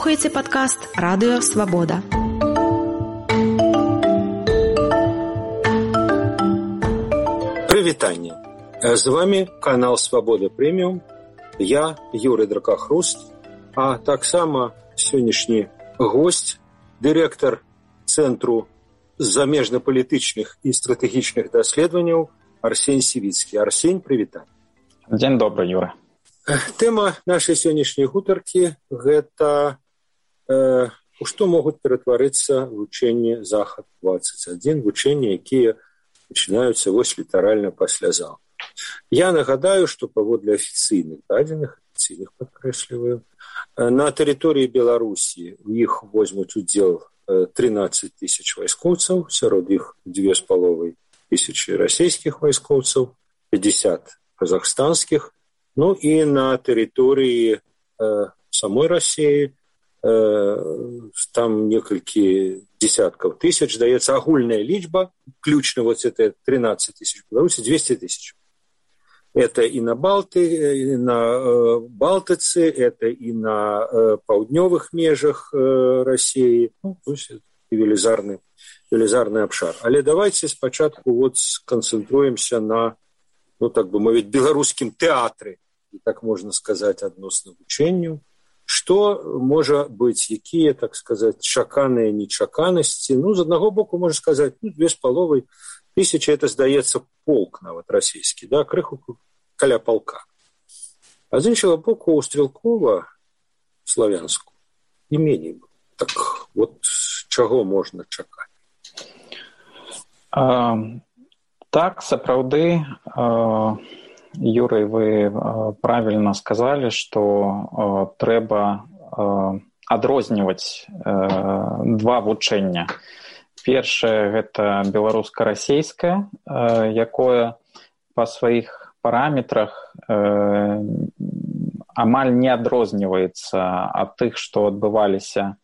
слухаеце падкаст «Радыё Свабода». Прывітанне. З вами канал «Свабода Прэміум». Я, Юрый Дракахруст, а таксама сённяшні госць, дырэктар Цэнтру замежнапалітычных і стратэгічных даследаванняў Арсень Сівіцкі. Арсень, прывітанне. Дзень добры, Юра. Тэма нашай сённяшняй гутаркі – гэта у што могуць ператварыцца вучэнні Захад-21, вучэнні, якія пачынаюцца вось літаральна пасля заўтра. Я нагадаю, што паводле афіцыйных дадзеных, падкрэсліваю, на тэрыторыі Беларусі у іх возьмуць удзел 13 тысяч вайскоўцаў, сярод іх 2,5 тысячы расійскіх вайскоўцаў, 50 казахстанскіх. Ну і на тэрыторыі самой Расіі там некалькі десяткаў тысяч, даецца агульная лічба, ключна вот это 13 тысяч, Беларусі 200 тысяч. Это и на Балтыцы, это и на паўднёвых межах Расіі, ну, то есть велізарны абшар. Але давайте спачатку вот сканцэнтруемся на, ну, так бы мовіць, беларускім тэатры, так можна сказаць, адносна вучэнню. Што можа быць, якія, так сказаць, чаканыя нечаканасці? Ну, з аднаго боку, можна сказаць, 2,5 тысячи, это, здаецца, полк нават расійскі, да, крыху каля полка. А з іншага боку, у Стрелкова, Славянску, і меней. Так, вот, чаго можна чакаць? Так, сапраўды, Юрый, вы правильно сказали, что трэба адрозніваць два вучэння. Першае – гэта беларуска-расійскае, якое па сваіх параметрах амаль не адрозніваецца ад тых, што адбываліся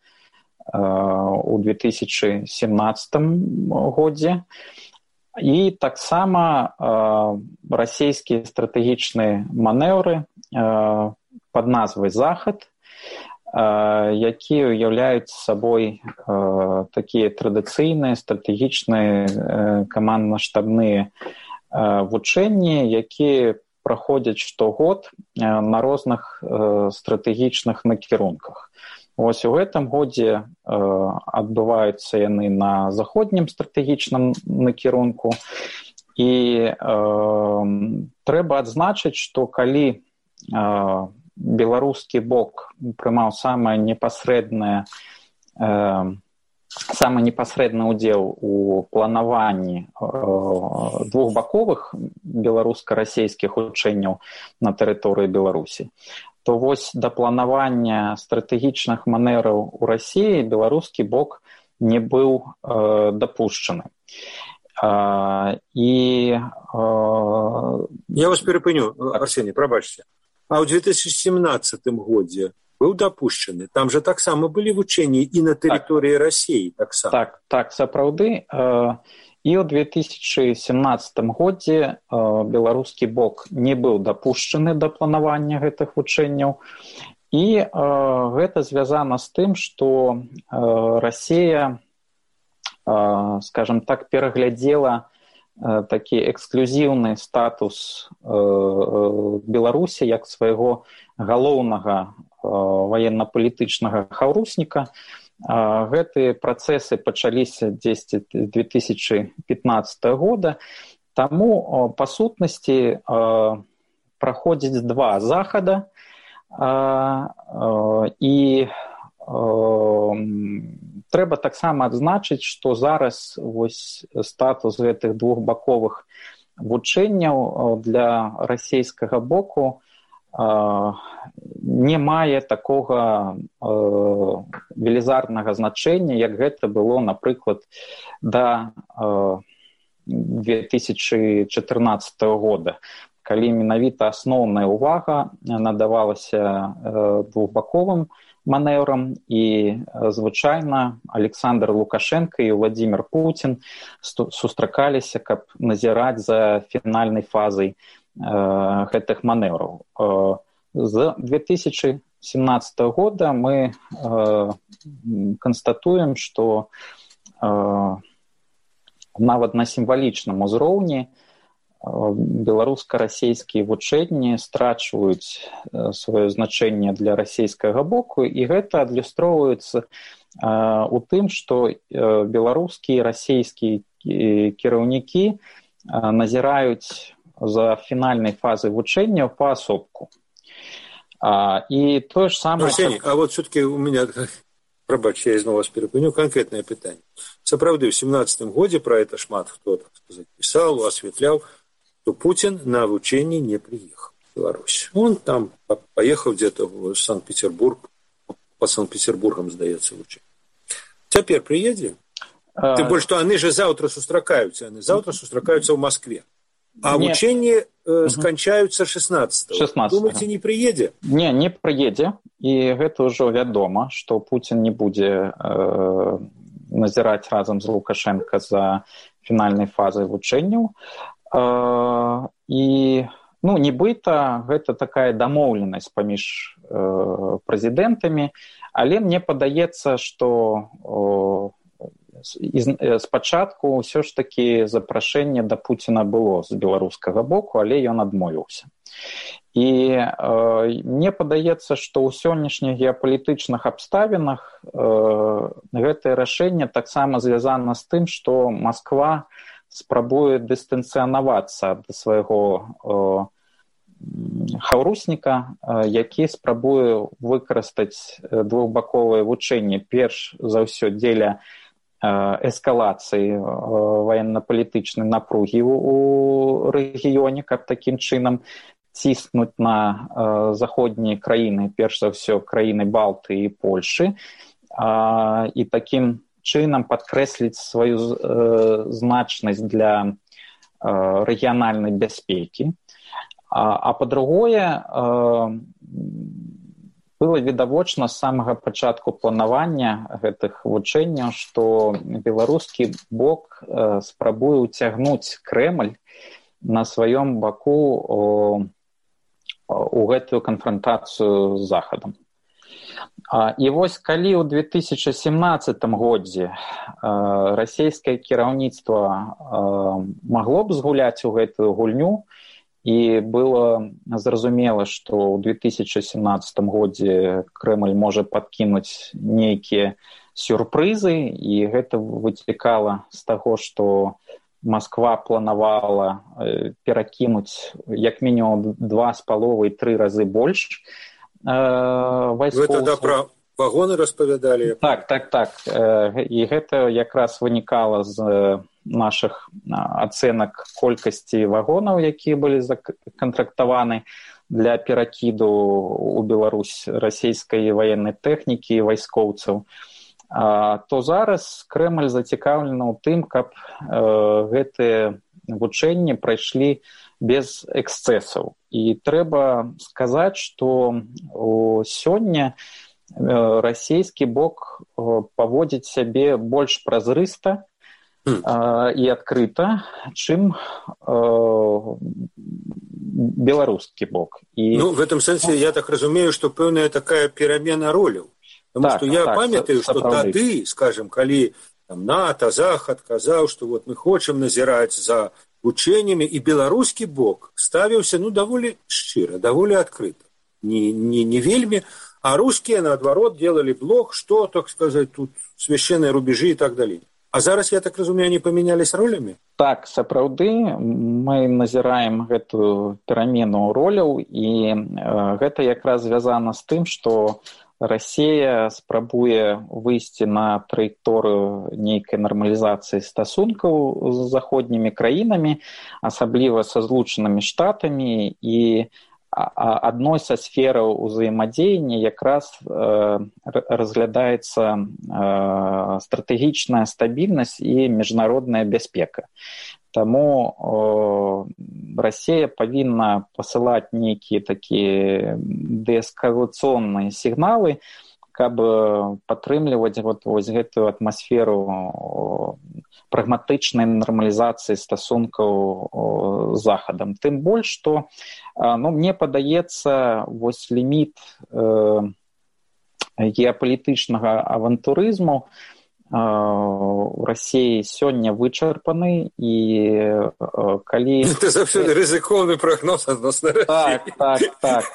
у 2017 годзе. І таксама расійскія стратэгічныя манеўры пад назвай «Захад», якія ўяўляюць сабой такія традыцыйныя стратэгічныя камандна-штабныя вучэнні, якія праходзяць штогод на розных стратэгічных накірунках. Вось у гэтым годзе адбываюцца яны на заходнім стратэгічным накірунку. І трэба адзначыць, што калі беларускі бок прымаў самы непасрэдны ўдзел у планаванні двухбаковых беларуска-расійскіх вучэнняў на тэрыторыі Беларусі, то вось да планавання стратэгічных манераў у Расіі беларускі бок не быў дапушчаны. Я вас перапыню, Арсений, прабачце. А ў 2017 годзе быў дапушчаны? Там жа таксама былі вучэнні і на тэрыторыі Расіі таксама. Так, сапраўды. І ў 2017 годзе беларускі бок не быў дапушчаны да планавання гэтых вучэнняў. І гэта звязана з тым, што Расія, скажам так, пераглядзела такі эксклюзіўны статус Беларусі як свайго галоўнага ваенна-палітычнага хаўрусніка. Гэтыя працэсы пачаліся дзесьці з 2015 года, таму па сутнасці праходзіць два захада, і трэба таксама адзначыць, што зараз вось статус гэтых двухбаковых вучэнняў для расійскага боку не мае такога велізарнага значэння, як гэта было, напрыклад, да 2014 года, калі менавіта асноўная ўвага надавалася двухбаковым манеўрам, і звычайна Александр Лукашенко і Владимир Путин сустракаліся, каб назіраць за фінальнай фазай гэтых манеўраў. З 2014 2017 года мы констатуем, што нават на сімвалічным узроўні беларуска-расейскія вучэнні страчваюць сваё значэнне для расійскага боку, і гэта адлюстроўваецца у тым, што беларускія і расійскія кіраўнікі назіраюць за фінальнай фазы вучэнняў паасобку. И то же самое... Арсений, а вот все-таки у меня, пробач, я снова вас перепыню, конкретное питание. Сапраўды, в 17 годзе про это шмат кто, так сказать, писал, осветлял, что Путин на обучение не приехал в Беларусь. Он там поехал где-то в Санкт-Петербург, по Санкт-Петербургам, сдается, учение. Теперь приедет? Тем более, что они же завтра сустракаются, в Москве. А вучэнні сканчаюцца 16-го. Думаеце, не прыедзе? Не прыедзе. І гэта ўжо вядома, што Пуцін не будзе назіраць разам з Лукашенко за фінальнай фазай вучэнняў. І, нібыта, гэта такая дамоўленасць паміж прэзідэнтамі, але мне падаецца, што спачатку ўсё ж такі запрашэнне да Пуціна было з беларускага боку, але ён адмовіўся. І мне падаецца, што ў сённяшніх геапалітычных абставінах гэтае рашэнне таксама звязана з тым, што Масква спрабуе дыстанцыянавацца ад свайго хаўрусніка, які спрабуе выкарыстаць двухбаковыя вучэнні перш за ўсё дзеля эскалацыі военно-палітычнай напругі ў рэгіёне, каб такім чынам ціснуць на заходнія краіны, перш за ўсё краіны Балтыі і Польшы, і такім чынам падкрэсліць сваю значнасць для рэгіянальнай бяспекі. А па-другое, было відавочна з самага пачатку планавання гэтых вучэнняў, што беларускі бок спрабуе ўцягнуць Крэмль на сваём баку у гэтую канфрантацыю з Захадам. І вось калі ў 2017 годзе расійскае кіраўніцтва магло б згуляць у гэтую гульню, і было зразумела, што ў 2017 годзе Крэмль можа падкінуць нейкія сюрпрызы, і гэта выцікала з таго, што Масква планавала перакінуць як мінімум 2,5-3 разы больш вайскоўцаў. Вы тогда пра вагоны распавядалі? Так. І гэта якраз вынікала з наших ацэнак колькасці вагонаў, якія былі законтрактаваны для перакіду ў Беларусь расійскай ваеннай тэхнікі і вайскоўцаў, то зараз Крэмль зацікаўлены ў тым, каб гэтыя вучэнні прайшлі без эксцэсаў. І трэба сказаць, што сёння расійскі бок паводзіць сябе больш празрыста і адкрыта, чым беларускі бок. В этом сэнсе я так разумею, што пэўная такая перамена роляў. Потому что я памятаю, што тады, скажем, калі НАТО, Захад казаў, што вот мы хочам назіраць за вучэннямі, і беларускі бок ставіўся даволі шчыра, даволі адкрыта. Не вельмі, а рускія, наадварот, делали блок, што, так сказать, тут священныя рубежы і так далей. А зараз, я так разумею, они поменялись ролями? Так, сапраўды, мы назіраем гэтую перамену роляў, і гэта якраз звязана з тым, што Расія спрабуе выйсці на траекторыю нейкай нармалізацыі стасункаў з заходнімі краінамі, асабліва са Злучанымі Штатамі, і адной са сфераў узаемадзеяння якраз разглядаецца стратэгічная стабільнасць і міжнародная бяспека. Таму Расія павінна пасылаць нейкія такія дээскалацыйныя сігналы, каб падтрымліваць вось гэтую атмасферу прагматычнай нармалізацыі стасункаў з захадам. Тым больш, што мне падаецца, вось ліміт геапалітычнага авантурызму у Расіі сёння вычарпаны, і калі... Ты заўсёды рызыкоўны прагноз адносна Расіі. Так.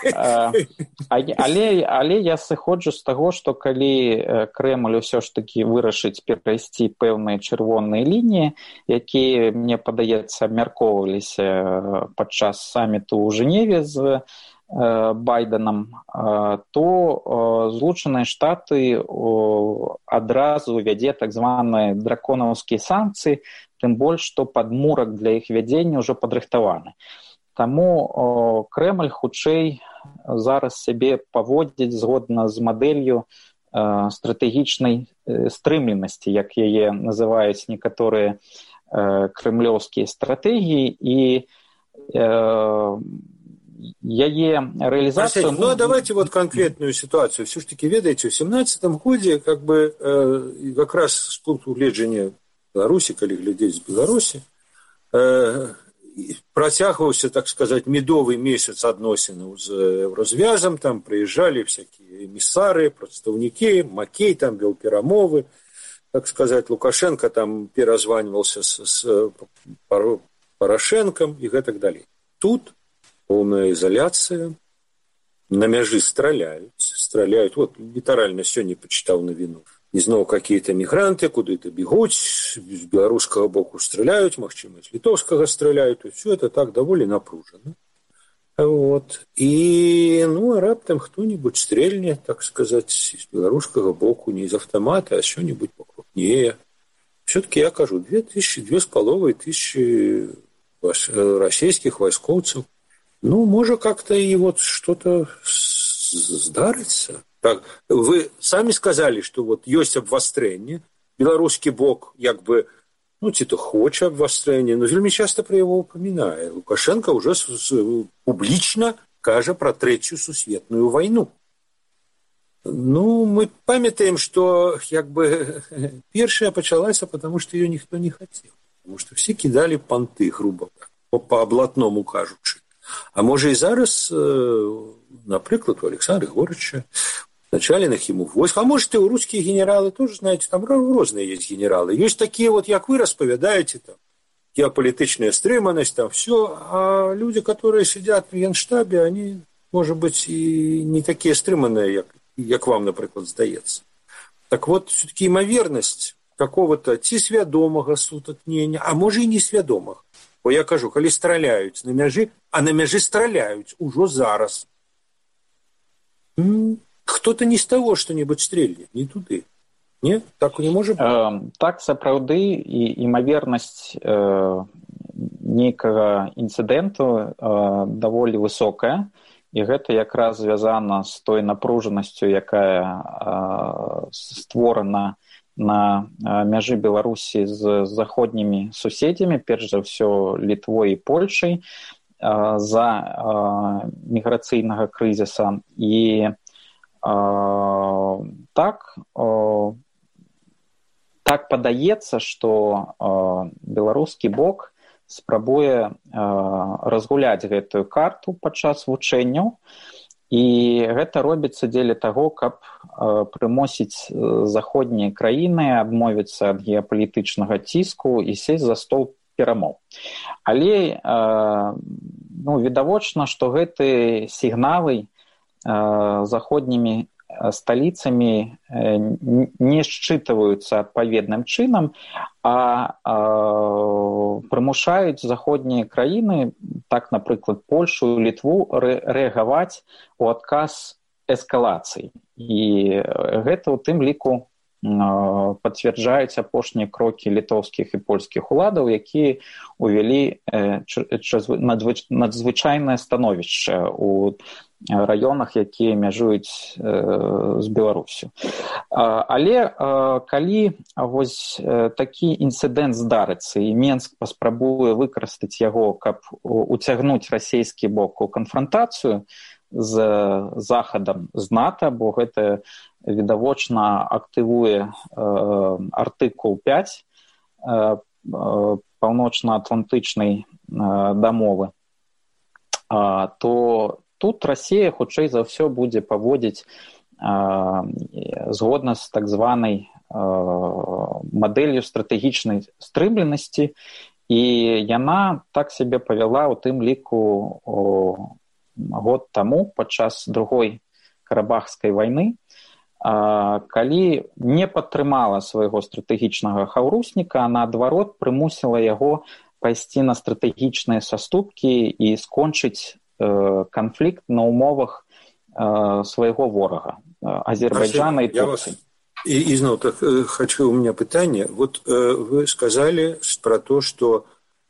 Але я сыходжу з таго, што калі Крэмль усё ж такі вырашыць перайсці пэўныя чырвоныя лініі, якія, мне падаецца, абмяркоўваліся падчас саміту ў Жэневе з Байденам, то Злучаныя Штаты адразу вядзе так званыя драконаўскія санкцыі, тым больш, што падмурак для іх вядзення ўжо падрыхтаваны. Таму Крэмль хутчэй зараз сябе паводзіць згодна з мадэллю стратэгічнай стрымленасці, як яе называюць некаторыя крэмлёўскія стратэгіі, і яе реализацию... давайте вот конкретную ситуацию. Все-таки, ведаете, в 17-м годзе, как раз с пункту гледжання Беларусі, калі глядзець з Беларусі, працягваўся, так сказать, медовый месяц адносінаў з Еўразвязам, там приезжали всякие эмиссары, прадстаўнікі, Макей там вел перамовы, так сказать, Лукашенко там перазванивался с Порошенком и так далее. Тут полная изоляция, на мяжы стреляют. Вот литерально сегодня почитал новину. И снова какие-то мигранты куда-то бегут, с белорусского боку стреляют, магчыма, с литовского стреляют. И все это так довольно напружено. Вот. И, раптам кто-нибудь стрельнет, так сказать, с белорусского боку, не из автомата, а что-нибудь покрупнее. Все-таки я кажу, 2500 российских войскоўцаў. Может, как-то и вот что-то здарыцца. Так, вы сами сказали, что вот есть обвастрэнне. Белорусский бок, ці-то хоча обвастрэнне, но вельмі часто про его упоминает. Лукашенко уже публично кажа про Третью сусветную войну. Мы памятаем, что первая началась, потому что ее никто не хотел. Потому что все кидали понты, грубо по облатному кажучи. А може і зараз, наприклад, у Александра Григорьевича, начальных ему войск, а может и у русские генералы тоже, знаете, там разные есть генералы. Есть такие вот, как вы расповедаете, там, геополитичная стриманность, там все, а люди, которые сидят в Генштабе, они, может быть, и не такие стриманные, как вам, например, здаецца. Так вот, все-таки имоверность какого-то ці свядомага сутыкнення, а може и не свядомага. Бо я кажу, калі страляюць на мяжы, а на мяжы страляюць ужо зараз. Кто-то не з таго што-небудзь стрельне, не туды. Не? Так не можа быць? Так, сапраўды, і імавернасць нейкага інцыдэнту даволі высокая, і гэта якраз звязана з той напружанасцю, якая створана на мяжы Беларусі з заходнімі суседзямі, перш за ўсё Літвой і Польшай, за міграцыйнага крызіса. І так падаецца, што беларускі бок спрабуе разгуляць гэтую карту падчас вучэнняў, і гэта робіцца дзеля таго, каб прымусіць заходнія краіны адмовіцца ад геапалітычнага ціску і сесть за стол перамоў. Але відавочна, што гэтыя сігналы заходнімі сталіцамі не счытываюцца адпаведным чынам, а прымушаюць заходнія краіны, так, напрыклад, Польшу і Літву, рэагаваць у адказ эскалацыі. І гэта ў тым ліку пацвярджаюць апошнія крокі літоўскіх і польскіх уладаў, якія ўвялі надзвычайнае становішча ў раёнах, якія мяжуюць з Беларусю. Але калі вось такі інцыдэнт здарыцца, і Менск паспрабуе выкарыстаць яго, каб уцягнуць расійскі бок у канфрантацыю з Захадам, з НАТО, бо гэта відавочна актывуе артыкул 5 паўночна-атлантычнай дамовы, то тут Расія, хутчэй за ўсё, будзе паводзіць згодна з так званай мадэллю стратэгічнай стрымленасці, і яна так сябе павяла ў тым ліку год таму падчас другой карабахскай вайны, калі не падтрымала свайго стратэгічнага хаўрусніка, а наадварот прымусіла яго пайсці на стратэгічныя саступкі і скончыць канфлікт на умовах свайго ворага, Азербайджана и Турции. И снова так, хочу, у меня питание. Вот вы сказали про то, что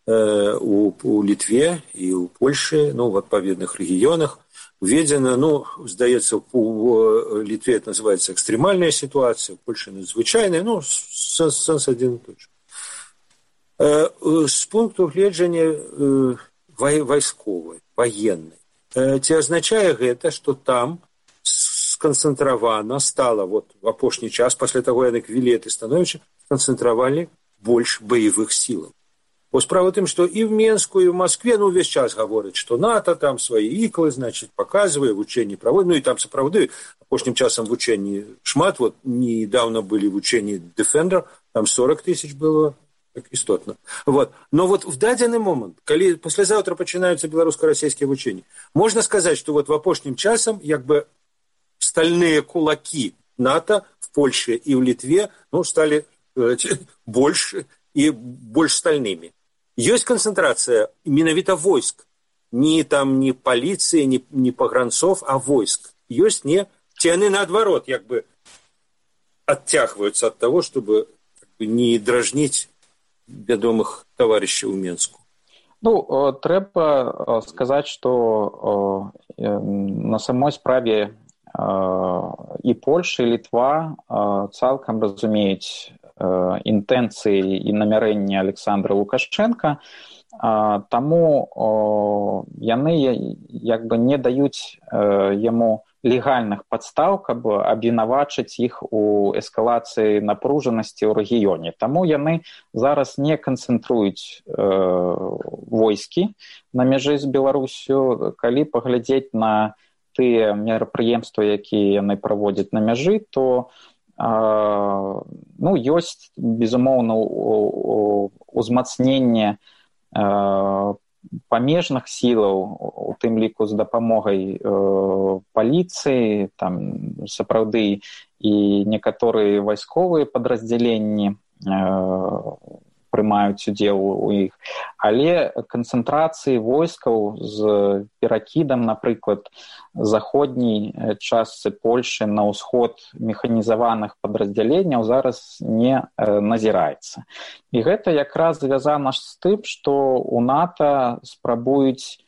у Литве и у Польши, ну, в отповедных регионах введено, ну, сдается, у Литве это называется экстремальная ситуация, у Польши надзвычайная, ну, сенс один и тот же. С пункту гледжання войсковой, военной, ці означае гэта, што там сканцэнтравана стала вот в апошні час, пасля таго, як Вілет і Становіча, сканцэнтравалі больш баявых сілаў. Бо справа тым, што і в Менску, і в Москве, ну, увесь час гавораць, што НАТО там свае іклы, значыць, паказвае, вучэнні праводзіць, ну, і там сапраўды апошнім часам вучэнні шмат, вот, недавно былі вучэнні Defender, там 40 тысяч было, так істотна. Вот. Но вот в дадзены момент, калі паслязаўтра пачынаюцца беларуска-расійскія вучэнні, можна сказаць, што вот в апошнім часам, як бы, стальные кулаки НАТО в Польше и в Литве, ну, стали больше и больше стальными. Есть концентрация менавіта войск. Не там не полиции, не погранцов, а войск. Есть не... Те они наоборот, как бы оттягиваются от того, чтобы как бы, не дражнить вядомых товарищей у Менску. Ну, трэба сказаць, што на самой справе і Польша, і Літва цалкам разумеюць інтэнцыі і намярэнні Александра Лукашчэнка, таму яны як бы не даюць яму легальных падстаў, каб абвінавачыць іх у эскалацыі напружанасці ў рэгіёне. Таму яны зараз не канцэнтруюць войскі на мяжы з Беларусю. Калі паглядзець на тыя мерапрыемствы, якія яны праводзяць на мяжы, то ну, ёсць, безумоўна, узмацненне памежных сілаў, у тым ліку з дапамогай паліцыі, там сапраўды і некаторыя вайсковыя падраздзяленні прымаюць удзел у іх, але канцэнтрацыі войскаў з перакідам, напрыклад, заходняй частцы Польшы на ўсход механізаваных падраздзяленняў зараз не назіраецца. І гэта якраз звязана з тым, што у НАТО спрабуюць,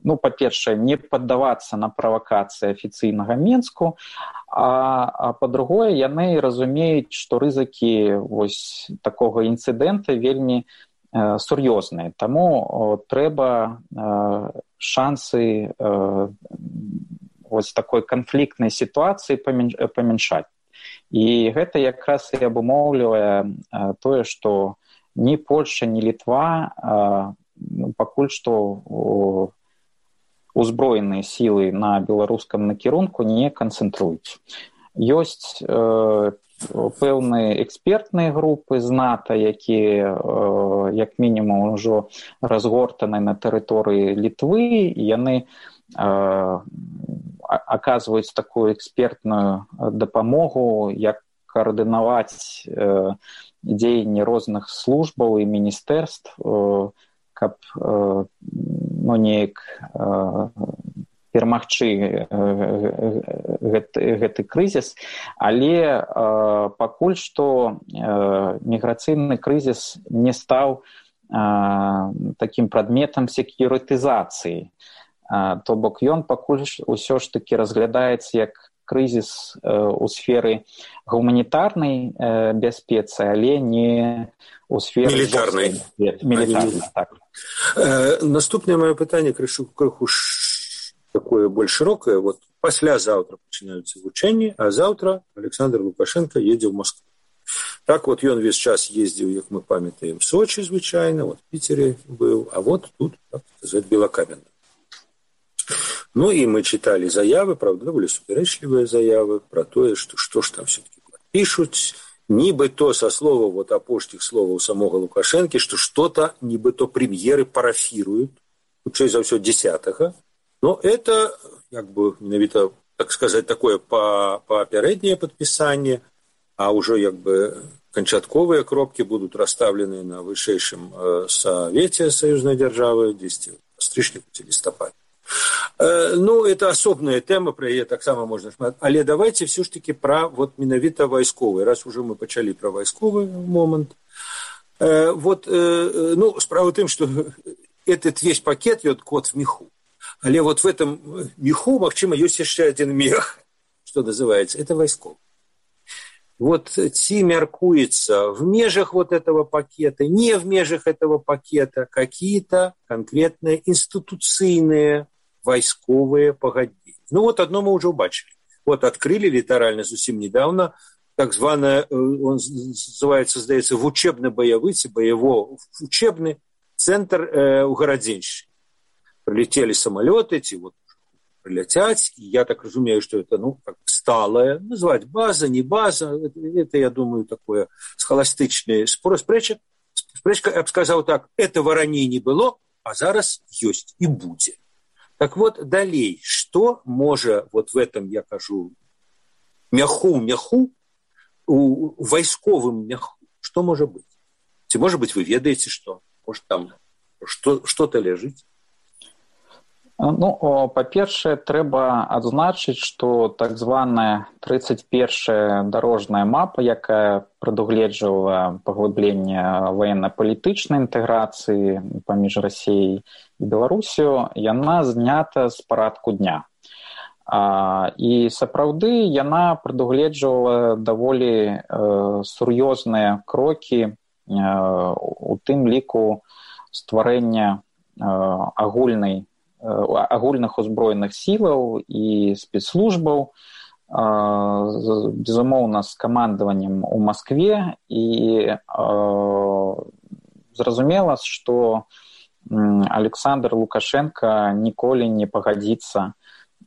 ну, па-першае, не паддавацца на правакацыі афіцыйнага Менску, а па-другое, яны разумеюць, што рызыкі вось такога інцыдэнта вельмі сур'ёзныя. Таму трэба шансы вось такой канфліктнай сітуацыі памяншаць. І гэта якраз і абумоўлівае тое, што ні Польша, ні Літва пакуль што узброеныя сілы на беларускам накірунку не канцэнтруюць. Ёсць пэўныя экспертныя групы з НАТО, якія, як мінімум, ужо разгортаны на тэрыторыі Літвы, і яны аказваюць такую экспертную дапамогу, як каардынаваць дзеянні розных службаў і міністэрств, каб ну, неяк перамагчы гэты крызіс, але пакуль што міграцыйны крызіс не стаў такім прадметам секьюрытызацыі. То бок ён пакуль усё ж такі разглядаецца як крызіс у сферы гуманітарнай бяспецы, але не у сферы мілітарнай. Так. Наступнае маё пытанне крыху такое больш шырокае. Вот паслязаўтра пачынаюцца вучэнні, а заўтра Александр Лукашенко едзе ў Москву. Так вот ён весь час ездзіў, як мы памятаем, Сочи звычайна, вот в Питере был, а вот тут, так сказать, Белокаменна. Ну и мы читали заявы, правда, довольно суперечливые заявы про то, что ж там все-таки пишут, нібито со слова, вот апошніх словаў самого Лукашенки, что что-то нібито премьеры парафируют, хутчэй за ўсё 10-го, но это, как бы, менавіта, так сказать, такое попереднее подписание, а уже, как бы, канчатковые кропки будут расставлены на вышэйшым Совете союзной державы 10 стрычніку ці лістападзе. Ну, это асобная тэма, про яе таксама можна шмат. Але давайте все ж таки про вот менавіта вайсковы. Раз уже мы пачалі про вайсковы момент. Ну, справа в тым, что этот весь пакет, кот в меху. Але вот в этом меху, магчыма, ёсць яшчэ один мех, что называется, это вайсковы. Вот ці мяркуецца в межах вот этого пакета, не в межах этого пакета, какие-то конкретные институцыйные вайсковые пагадненні. Ну вот одно мы уже убачили. Вот открыли літаральна зусім недавно так званое, он называется, здаецца, вучебно-боевы ці боево-учебный центр у Гарадзеншчыне. Прилетели самолеты, эти вот прилетять, и я так разумею, что это, ну, как сталая, назвать база, не база, это я думаю, такое схоластычное спрэчка, я бы сказал так, этого раней не было, а зараз ёсць и будет. Так вот, далей, что можа вот в этом, я кажу, мяху, у вайсковым мяху, что может быть? Может быть, вы ведаете, что? Может, там что-то лежит? Ну, па-першае, трэба адзначыць, што так званая 31-я дарожная мапа, якая прадугледжвала паглыбленне ваенна-палітычнай інтэграцыі паміж Расіяй і Беларусю, яна знята з парадку дня. І сапраўды яна прадугледжвала даволі сур'ёзныя крокі, у тым ліку стварэння агульных узброеных сілаў і спецслужбаў, безумоўна, з камандаваннем у Маскве, і зразумела, што Александр Лукашенко ніколі не пагадзіцца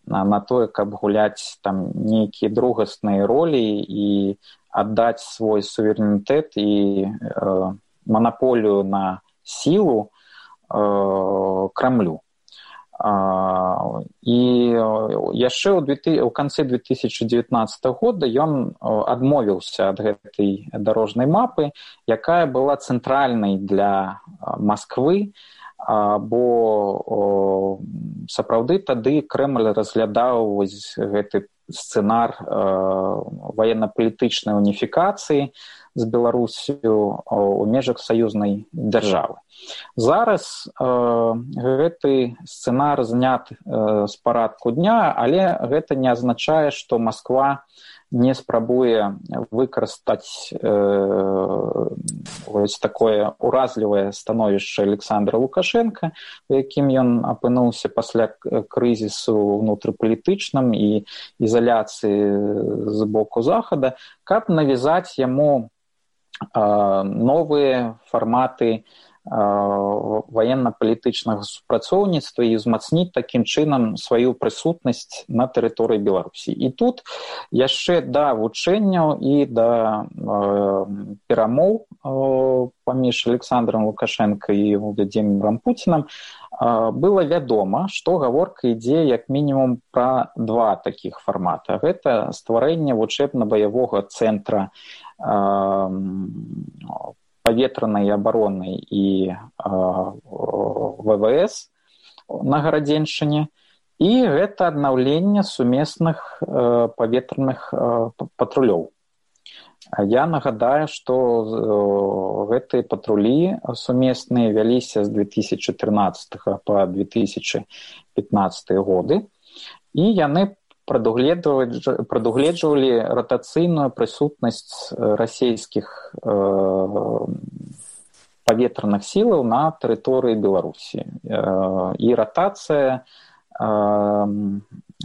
на тое, каб гуляць там нейкія другасныя ролі і аддаць свой суверэнітэт і манаполію на сілу Крамлю. І яшчэ ў канцы 2019 года ён адмовіўся ад гэтай дарожнай мапы, якая была цэнтральнай для Масквы, бо сапраўды тады Крэмль разглядаў гэты сцэнар ваенна-палітычнай уніфікацыі з Беларусю у межах саюзнай дзяржавы. Зараз гэты сцэнар знят з парадку дня, але гэта не азначае, што Масква не спрабуе выкарыстаць вось такое уразлівае становішча Александра Лукашенка, у якім ён апынуўся пасля крызісу ўнутрыпалітычным і ізаляцыі з боку Захада, каб навязаць яму новыя фарматы ваенна-палітычнага супрацоўніцтва і ўзмацніць такім чынам сваю прысутнасць на тэрыторыі Беларусі. І тут яшчэ да вучэнняў і да перамоў паміж Александром Лукашенко і Владимиром Путінам было вядома, што гаворка ідзе як мінімум пра два такіх фармата. Гэта стварэнне вучэбна-баявога цэнтра паветранай абароны і ВВС на Гарадзеншчыне, і гэта аднаўленне сумесных паветраных патрулёў. Я нагадаю, што гэтыя патрулі сумесныя вяліся з 2014 па 2015 годы, і яны прадугледжвалі ратацыйную прысутнасць расійскіх паветраных сілаў на тэрыторыі Беларусі. І ратацыя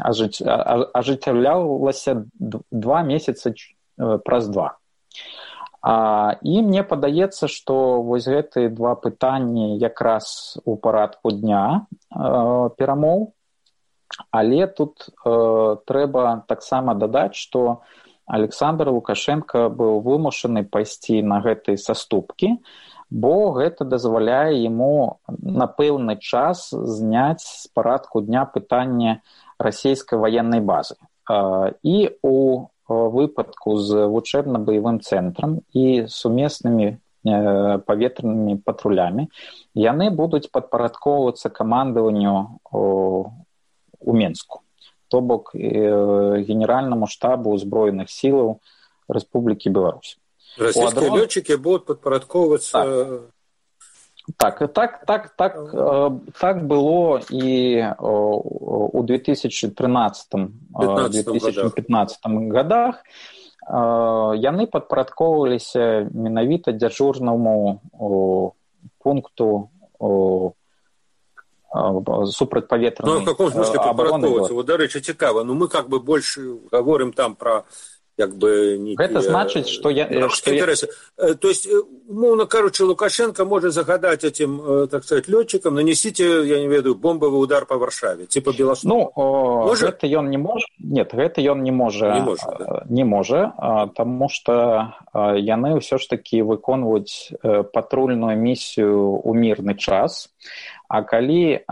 ажыццяўлялася 2 месяцы праз 2. І мне падаецца, што вось гэтыя два пытанні якраз у парадку дня перамоў. Але тут трэба таксама дадаць, што Александр Лукашенко быў вымушаны пайсці на гэтыя саступкі, бо гэта дазваляе яму на пэўны час зняць з парадку дня пытанне расійскай ваеннай базы. І у выпадку з вучэбна-баявым цэнтрам і сумеснымі паветранымі патрулямі яны будуць падпарадкоўвацца камандаванню у Менску, то бок генеральнаму штабу ўзброеных сілаў Рэспублікі Беларусь. Расійскія лётчыкі будуць падпарадкоўвацца... Так было і у 2013-2015 годах. Яны падпарадкоўваліся менавіта дзяжурнаму пункту супрацьпаветранай в каком смысле падпарадкоўвацца? Вот, дарэчы, цікава. Мы как бы больше говорим там про как бы некие... Гэта значыць, што То есть, умовно кажучи, Лукашенко может загадать этим, так сказать, летчикам: нанесите, я не ведаю, бомбовый удар по Варшаве, типа Белосток. Гэта ён не можа. Нет, гэта ён не можа, таму што яны ўсё ж такі выконваюць патрульную місію ў мірны час. А калі,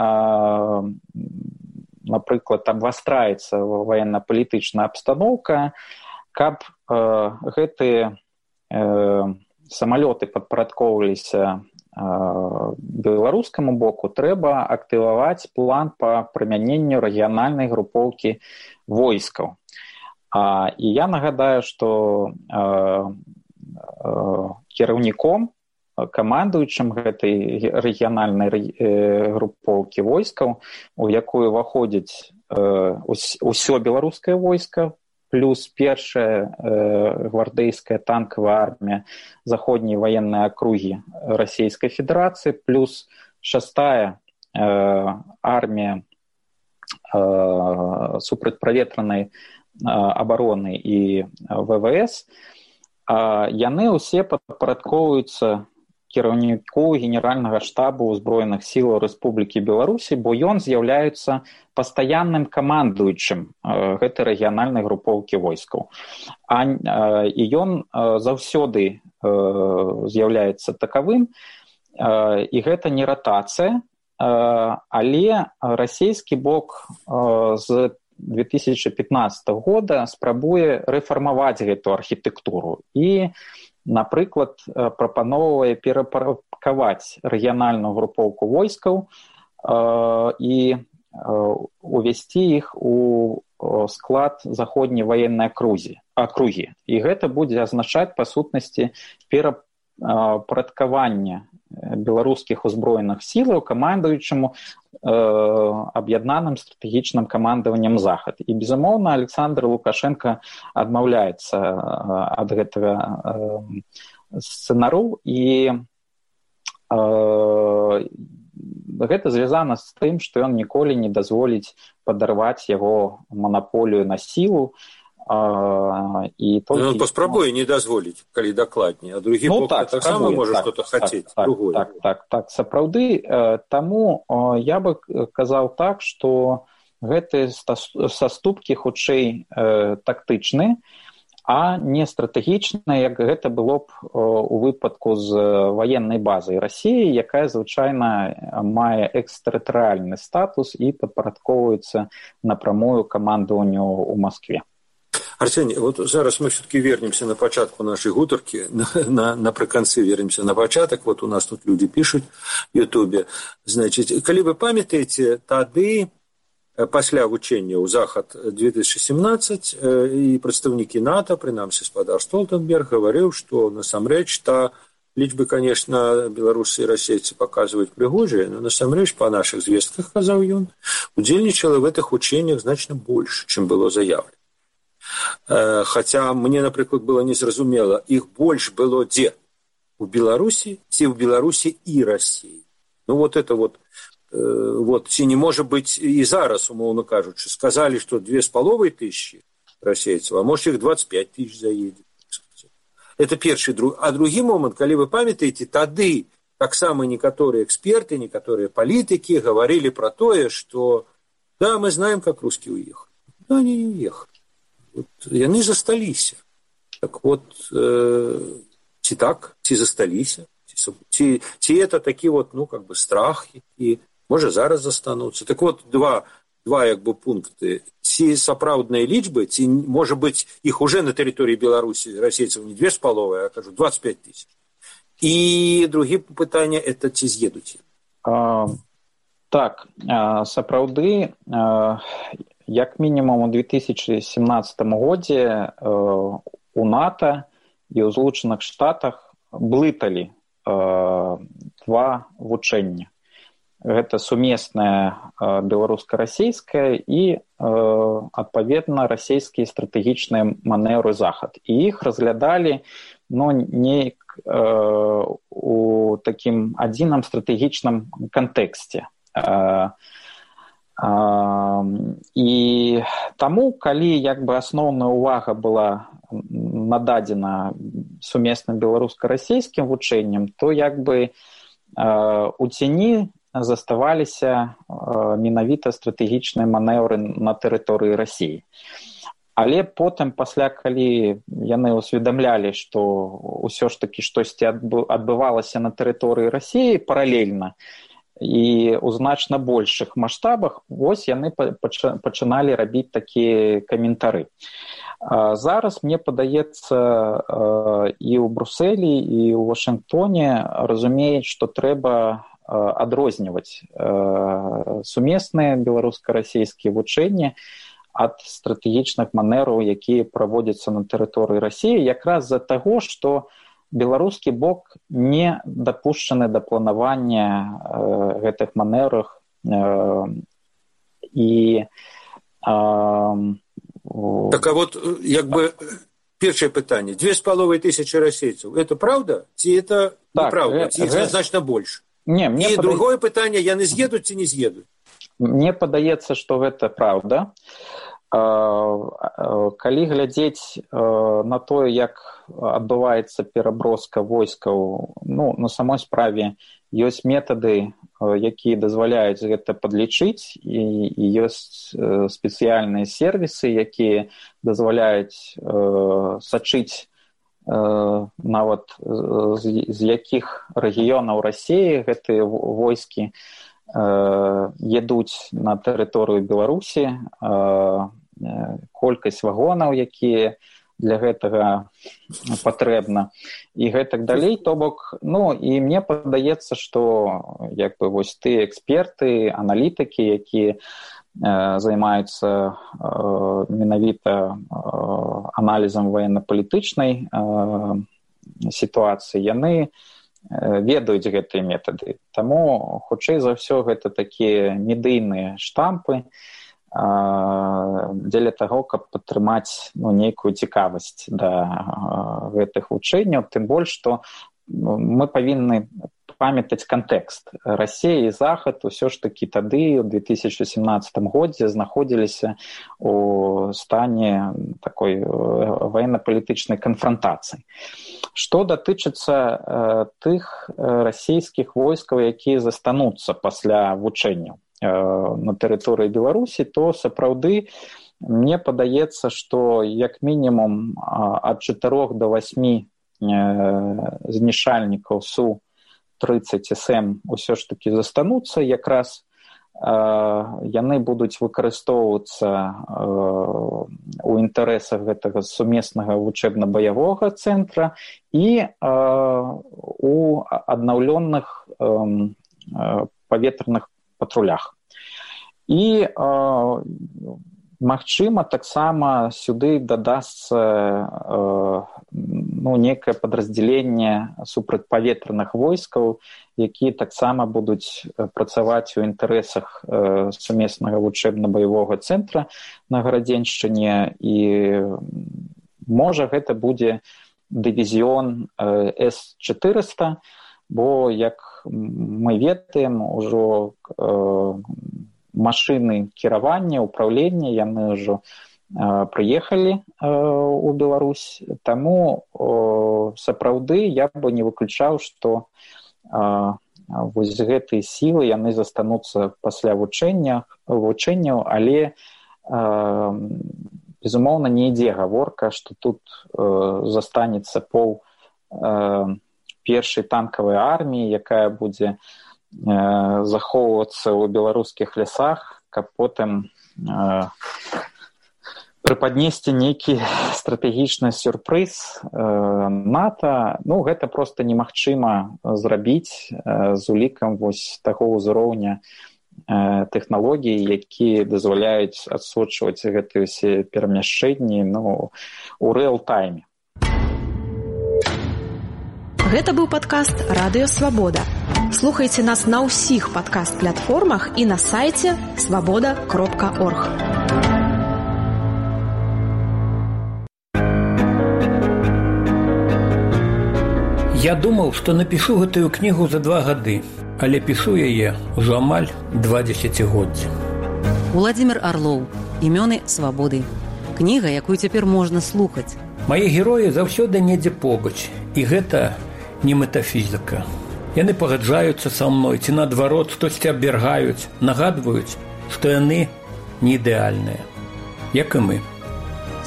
напрыклад, абвастраецца военно-палітычная абстаноўка, каб гэтыя самалёты падпарадкоўваліся беларускаму боку, трэба актываваць план па прымяненню рэгіянальнай групоўкі войскаў. І я нагадаю, што кіраўніком, камандуючым гэтай рэгіянальнай групоўкі войскаў, у якую ўваходзіць усё беларускае войска, плюс першая гвардейская танковая армія заходняй военной акругі Расійскай Федерацыі, плюс 6-я армія супрацьпаветранай абароны і ВВС, яны ўсе падпарадкоўваюцца кіраўніку генеральнага штабу ўзброеных сілаў Рэспублікі Беларусі, бо ён з'яўляецца пастаянным камандуючым гэтай рэгіянальнай групоўкі войскаў. І ён заўсёды з'яўляецца такавым, і гэта не ратацыя, але расійскі бок з 2015 года спрабуе рэфармаваць гэту архітэктуру і, напрыклад, прапаноўвае перапарадкаваць рэгіянальную групоўку войскаў і увесці іх у склад заходняй военной акругі. І гэта будзе азначаць, па сутнасці, перапарадкаванне беларускіх узброеных сілаў камандуючаму аб'яднаным стратэгічным камандаваннем Захад. І, безумоўна, Александр Лукашенко адмаўляецца ад гэтага сцэнару, і гэта звязана з тым, што ён ніколі не дазволіць падарваць яго манаполію на сілу. Он паспрабуе не дазволіць, калі дакладней, а другі бок таксама можа што-то хацець. Так, сапраўды. Таму я бы казаў так, што гэтыя саступкі хутчэй тактычныя, а не стратэгічныя, як гэта было б у выпадку з ваеннай базай Расіі, якая звычайна мае экстэрытарыяльны статус і падпарадкоўваецца напрамую камандаванню ў Маскве. Арсений, вот зараз мы все-таки вернемся на початку нашей гутарки, напрыканцы вернемся на початок. Вот у нас тут люди пишут в Ютубе. Значит, калі вы памятаеце, тады пасля вучэння ў Захад 2017 і прадстаўнікі НАТО, прынамсі спадар Столтенберг, гаварыў, што насамрэч лічбы, конечно, беларусы и расейцы показывают пригожие, но насамрэч по наших звестках, казаў ён, удзельнічала в этих учениях значно больше, чем было заявлено. Хотя мне, напрыклад, было незразумела, іх больш было дзе? У Беларусі ці ў Беларусі і Расіі? Ну вот это вот ці не можа быць і зараз, умоўно кажучы, сказалі, што 2500 расейцаў, а может іх 25 000 заедзе. Это першы. А другі момант, калі вы памятаеце, тады таксама некаторыя эксперты, некаторыя палітыкі говорили про тое, что да, мы знаем, как русские уехали. Да, они не уехали. Вот, яны засталіся. Так вот, ці так, ці засталіся, ці это такі вот, ну, как бы страх, які, можа, зараз застануцца. Так вот, два як бы пункты. Ці сапраўдныя лічбы, ці, можа быць, іх уже на тэрыторыі Беларусі расейцаў не 2,5, а, кажу, 25 000. І другі пытанне, это ці з'едуць? Так, сапраўды, як мінімум у 2017 годзе у НАТО і ў Злучаных Штатах блыталі два вучэння. Гэта сумеснае беларуска-расейскае і, адпаведна, расійскія стратэгічныя манеўры захад. І іх разглядалі, ну, неяк у такім адзіным стратэгічным кантэксце. І таму, калі як бы асноўная ўвага была нададзена сумесным беларуска-расейскім вучэнням, то як бы у цені заставаліся менавіта стратэгічныя манеўры на тэрыторыі Расіі. Але потым, пасля, калі яны ўсведамлялі, што ўсё ж такі штосьці адбывалася на тэрыторыі Расіі паралельна і ў значна большых маштабах, вось яны пачыналі рабіць такія каментары. Зараз, мне падаецца, і ў Брусэлі, і ў Вашынгтоне разумеюць, што трэба адрозніваць сумесныя беларуска-расійскія вучэнні ад стратэгічных манераў, якія праводзяцца на тэрыторыі Расіі, якраз з-за таго, што беларускі бок не дапушчаны да планавання гэтых манерах і... Так, а вот, як бы, першае пытанне. 2500 расейцаў. Это правда? Ці это неправда? Ці іх значна больш? Не, і другое пытанне, яны з'едуць ці не з'едуць? Мне падаецца, што гэта праўда. Калі глядзець на тое, як адбываецца пераброска войскаў, ну, на самой справе ёсць метады, якія дазваляюць гэта падлічыць, і ёсць спецыяльныя сервісы, якія дазваляюць сачыць нават з якіх рэгіёнаў Расіі гэтыя войскі едуць на тэрыторыю Беларусі, колькасць вагонаў, якія для гэтага патрэбна, і гэтак далей. То бок, ну, і мне падаецца, што як бы вось тыя эксперты, аналітыкі, якія займаюцца менавіта аналізам военно-палітычнай сітуацыі, яны ведаюць гэтыя метады. Таму, хутчэй за ўсё, гэта такія медыйныя штампы дзеля таго, каб падтрымаць, ну, нейкую цікавасць да гэтых вучэнняў, тым больш, што мы павінны памятаць кантэкст. Расія і Захад усё ж такі тады, у 2017 годзе, знаходзіліся у стане такой военно-палітычнай канфрантацыі. Што датычыцца тых расійскіх войскаў, якія застануцца пасля вучэнняў на тэрыторыі Беларусі, то сапраўды мне падаецца, што як мінімум ад 4 до 8 знішальнікаў Су-30СМ ўсё ж такі застануцца, якраз яны будуць выкарыстоўвацца у інтарэсах гэтага сумеснага вучэбна-баявога цэнтра і у аднаўлённых паветраных патрулях. І магчыма, таксама сюды дадасца некае падраздзяленне супрацьпаветраных войскаў, якія таксама будуць працаваць у інтарэсах сумеснага вучэбна-баявога цэнтра на Гарадзеншчыне, і можа гэта будзе дывізіён С-400, бо, як мы ведаем, ужо машыны кіравання, управлення, яны ўжо прыехалі ў Беларусь. Таму сапраўды я бы не выключаў, што вось гэтыя сілы яны застануцца пасля вучэнняў, але безумоўна не ідзе гаворка, што тут застанецца пол першай танкавай арміі, якая будзе захоўвацца ў беларускіх лясах, каб потым прыпаднесці нейкі стратэгічны сюрпрыз НАТО. Ну, гэта проста немагчыма зрабіць з улікам вось таго ўзроўня тэхналогій, якія дазваляюць адсочваць гэтыя ўсе перамяшчэнні у рээл-тайме. Гэта быў падкаст «Радыё Свабода». Слухайце нас на ўсіх падкаст-платформах і на сайце свабода.орг. Я думаў, што напішу гэтую кнігу за 2 гады, але пішу яе ўжо амаль 2 дзесяцігоддзі. Уладзімір Арлоў. Імёны свабоды. Кніга, якую цяпер можна слухаць. Мае героі заўсёды недзе побач, і гэта не метафізіка. Яны пагаджаюцца са мной, ці наадварот штосьці абвяргаюць, нагадваюць, што яны не ідэальныя, як і мы.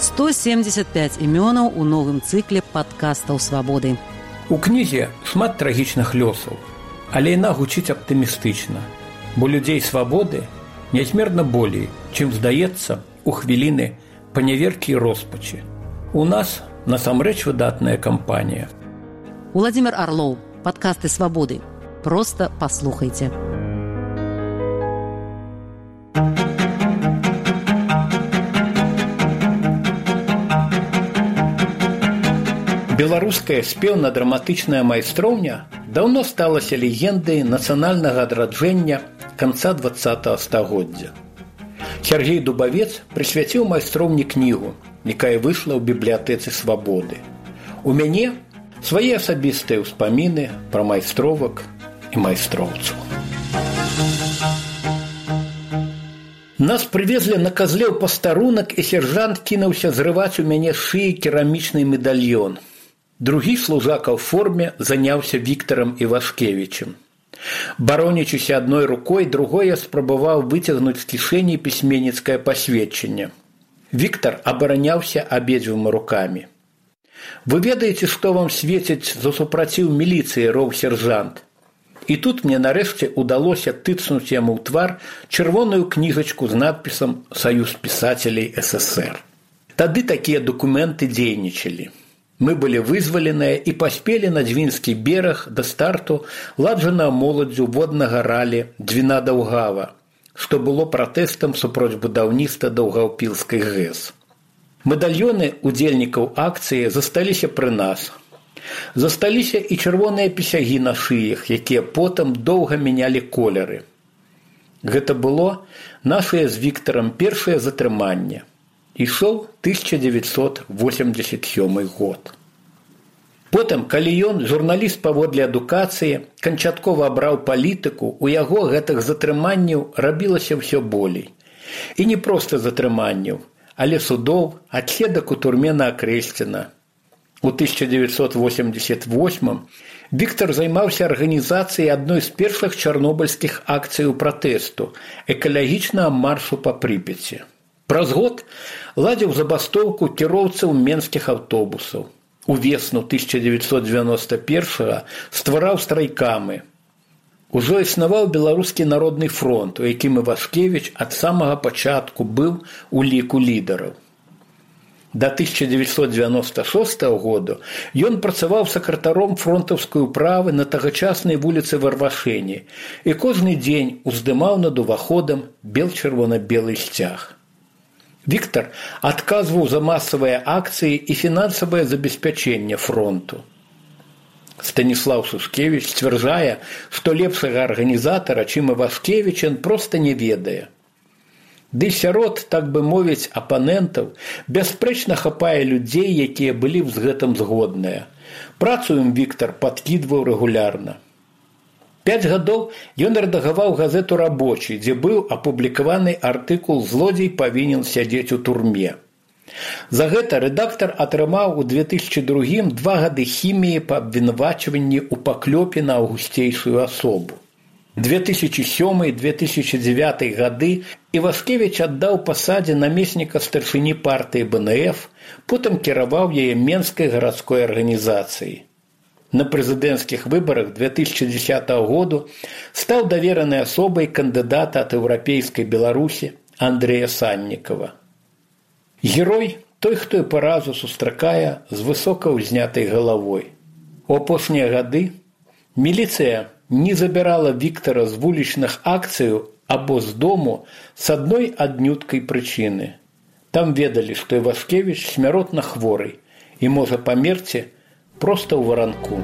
175 імёнаў у новым цыкле падкастаў свабоды. У кнізе шмат трагічных лёсаў, але яна гучыць аптымістычна, бо людзей свабоды нязмерна болей, чым здаецца у хвіліны паняверкі і роспачы. У нас насамрэч выдатная кампанія. Уладзімір Арлоў. Падкасты свабоды. Проста паслухайце. Беларуская спеўна-драматычная майстроўня даўно сталася легендай нацыянальнага адраджэння канца 20-го стагоддзя. Сергей Дубавец прысвяціў майстроўні кнігу, якая выйшла ў бібліятэцы свабоды. У мяне свае асабістыя ўспаміны пра майстровак і майстроўцаў. Нас прывезлі на казле ў пастарунак, і сержант кінуўся зрываць у мяне з шыі керамічны медальён. Другі служака ў форме заняўся Віктарам Івашкевічем. Баронячыся адной рукой, другой я спрабаваў выцягнуць з кішэні пісьменніцкае пасведчанне. Віктар абараняўся абедзвюма рукамі. «Вы ведаеце, што вам свеціць за супраціў міліцыі, роў сержант?» І тут мне нарэшце удалося тыцнуць яму ў твар чырвоную кніжачку з надпісам «Саюз пісацелей СССР». Тады такія дакументы дзейнічалі. Мы былі вызваленыя і паспелі на Дзвінскі бераг да старту ладжанага моладдзю воднага ралі «Двіна Даўгава», што было пратэстам супроць будаўніцтва Даўгаўпілскай ГЭС. Медальёны удзельнікаў акцыі засталіся пры нас. Засталіся і чырвоныя пісягі на шыях, якія потым доўга мянялі колеры. Гэта было нашае з Віктарам першае затрыманне. Ішоў 1987 год. Потым, калі ён, журналіст паводле адукацыі, канчаткова абраў палітыку, у яго гэтых затрыманняў рабілася ўсё болей. І не проста затрыманняў, але судоў, адседак у турме на Акрэсціна. У 1988-м Віктар займаўся арганізацыяй адной з першых чарнобыльскіх акцыяў пратэсту – экалагічнага маршу па Прыпяці. Праз год ладзіў забастоўку кіроўцаў менскіх аўтобусаў. Увесну 1991-го ствараў страйкамы. Ужо існаваў Беларускі народны фронт, у якім Івашкевіч ад самага пачатку быў у ліку лідараў. Да 1996 году ён працаваў сакратаром фронтаўскай управы на тагачаснай вуліцы Варвашэні і кожны дзень уздымаў над уваходам бел-чырвона-белы сцяг. Віктар адказваў за масавыя акцыі і фінансавае забеспячэнне фронту. Станіслаў Сушкевіч сцвярджае, што лепшага арганізатара, чым Івашкевіч, ён проста не ведае. Ды сярод, так бы мовіць, апанентаў бясспрэчна хапае людзей, якія былі б з гэтым згодныя. Працу ім Віктар падкідваў рэгулярна. 5 гадоў ён рэдагаваў газету «Рабочы», дзе быў апублікаваны артыкул «Злодзей павінен сядзець у турме». За гэта рэдактар атрымаў у 2002 2 гады хіміі па абвінавачванні ў паклёпе на аўгусцейшую асобу. 2007-2009 гады Івашкевіч аддаў пасадзе намесніка старшыні партыі БНФ, потым кіраваў яе Менскай гарадской арганізацыяй. На прэзідэнцкіх выбарах 2010 году стаў даверанай асобай кандыдата ад еўрапейскай Беларусі Андрэя Саннікава. Герой той, хто і паразу сустракае з высока ўзнятай галавой. У апошнія гады міліцыя не забірала Віктара з вулічных акцыяў або з дому з адной аднюткай прычыны. Там ведалі, што Івашкевіч смяротна хворы і можа памерці проста ў варанку.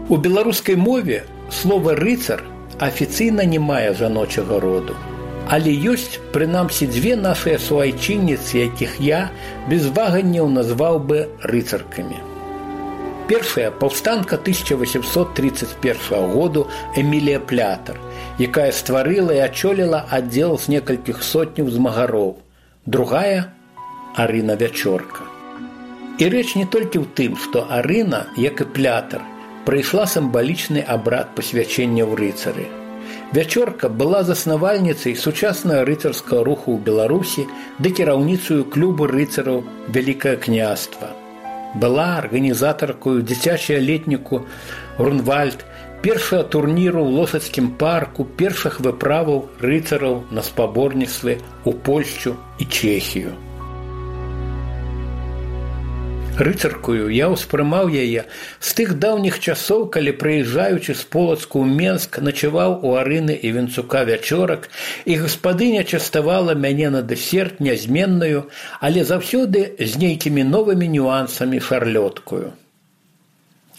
У беларускай мове слова «рыцар» афіцыйна не мае жаночага роду. Але ёсць, прынамсі, дзве нашыя суайчынніцы, якіх я без ваганняў назваў бы рыцаркамі. Першая – паўстанка 1831 году Эмілія Плятар, якая стварыла і ачоліла аддзел з некалькіх сотняў змагароў. Другая – Арына Вячорка. І рэч не толькі ў тым, што Арына, як і Плятар, прайшла сімвалічны абрад пасвячэння ў рыцары. Вячорка была заснавальніцай сучаснага рыцарскага руху ў Беларусі ды кіраўніцаю клубу рыцараў Вялікае княства. Была арганізатаркою дзіцячага летніку «Грунвальд», першага турніру ў Лосацкім парку, першых выправаў рыцараў на спаборніцтвы ў Польшчу і Чэхію. Рыцаркую я ўспрымаў яе з тых даўніх часоў, калі, прыязджаючы з Полацку ў Менск, начаваў у Арыны і Венцука Вячорак, і гаспадыня частавала мяне на дэсерт нязменную, але заўсёды з нейкімі новымі нюансамі шарлёткую.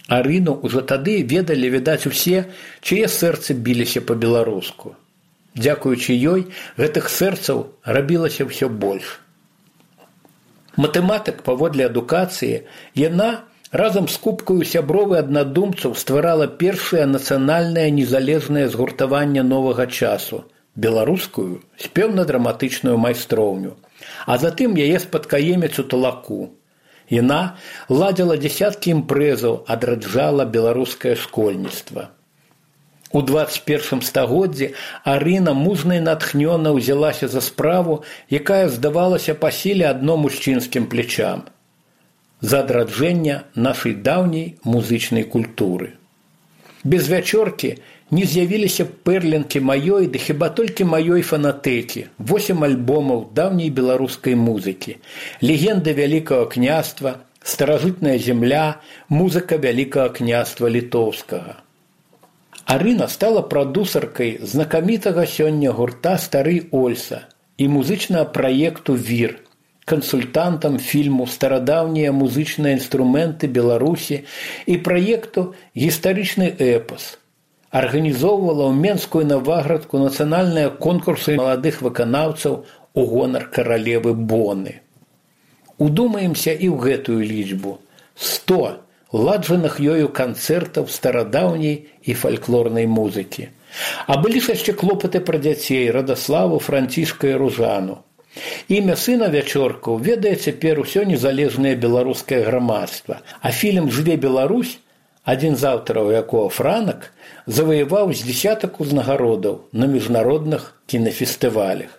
Арыну ўжо тады ведалі, відаць, усе, чые сэрцы біліся па-беларуску. Дзякуючы ёй, гэтых сэрцаў рабілася ўсё больш. Матэматык паводле адукацыі, яна разам з купкаю сяброў і аднадумцаў стварала першае нацыянальнае незалежнае згуртаванне новага часу – беларускую спеўна-драматычную майстроўню, а затым яе спадкаеміцу Талаку. Яна ладзіла дзесяткі імпрэзаў, адраджала беларускае школьніцтва. У 21 стагоддзі Арына мужна і натхнёна ўзялася за справу, якая здавалася па сіле адно мужчынскім плечам – за адраджэнне нашай даўняй музычнай культуры. Без Вячоркі не з'явіліся пэрлінкі маёй, ды хіба толькі маёй фанатэкі, 8 альбомаў даўняй беларускай музыкі, легенды Вялікага княства, старажытная земля, музыка Вялікага княства літоўскага. Арына стала прадусаркай знакамітага сёння гурта «Стары Ольса» і музычнага праекту «Вір», кансультантам фільму «Старадаўнія музычныя інструменты Беларусі» і праекту «Гістарычны эпас». Арганізоўвала ў Менскую Наваградку нацыянальныя конкурсы маладых выканаўцаў у гонар каралевы Боны. Удумаемся і ў гэтую лічбу – 100 ладжаных ёю канцэртаў старадаўняй і фальклорнай музыкі. А былі ж яшчэ клопаты пра дзяцей Радаславу, Францішка і Ружану. Імя сына Вячоркаў ведае цяпер усё незалежнае беларускае грамадства, а фільм «Жыве Беларусь», адзін з аўтараў якога Франак, заваяваў з дзесятак узнагародаў на міжнародных кінафестывалях.